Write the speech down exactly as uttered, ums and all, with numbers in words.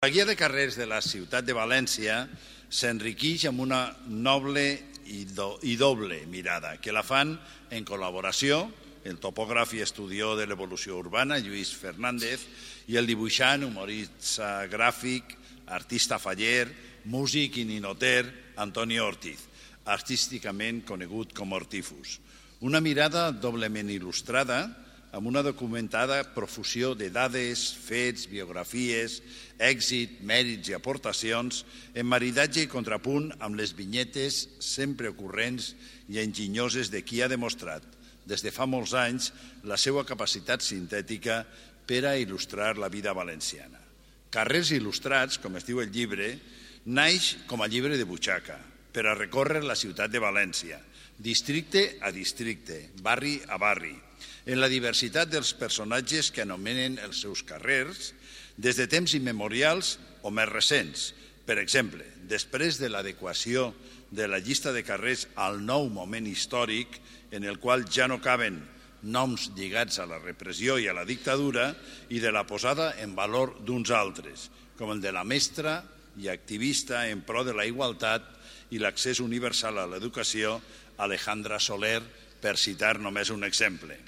La guia de carrers de la ciutat de València s'enriqueix amb una noble i, do, i doble mirada, que la fan en col·laboració el topògraf i estudió de l'evolució urbana, Lluís Fernández, i el dibuixant, humorista gràfic, artista faller, músic i ninoter, Antonio Ortiz, artísticament conegut com Ortifus. Una mirada doblement il·lustrada, amb una documentada profusió de dades, fets, biografies, èxit, mèrits i aportacions, en maridatge i contrapunt amb les vinyetes sempre ocorrents i enginyoses de qui ha demostrat, des de fa molts anys, la seva capacitat sintètica per a il·lustrar la vida valenciana. Carrers il·lustrats, com es diu el llibre, naix com a llibre de butxaca, per a recórrer la ciutat de València, districte a districte, barri a barri, en la diversitat dels personatges que anomenen els seus carrers, des de temps immemorials o més recents. Per exemple, després de l'adequació de la llista de carrers al nou moment històric, en el qual ja no caben noms lligats a la repressió i a la dictadura, i de la posada en valor d'uns altres, com el de la mestra i activista en pro de la igualtat i l'accés universal a l'educació, Alejandra Soler, per citar només un exemple.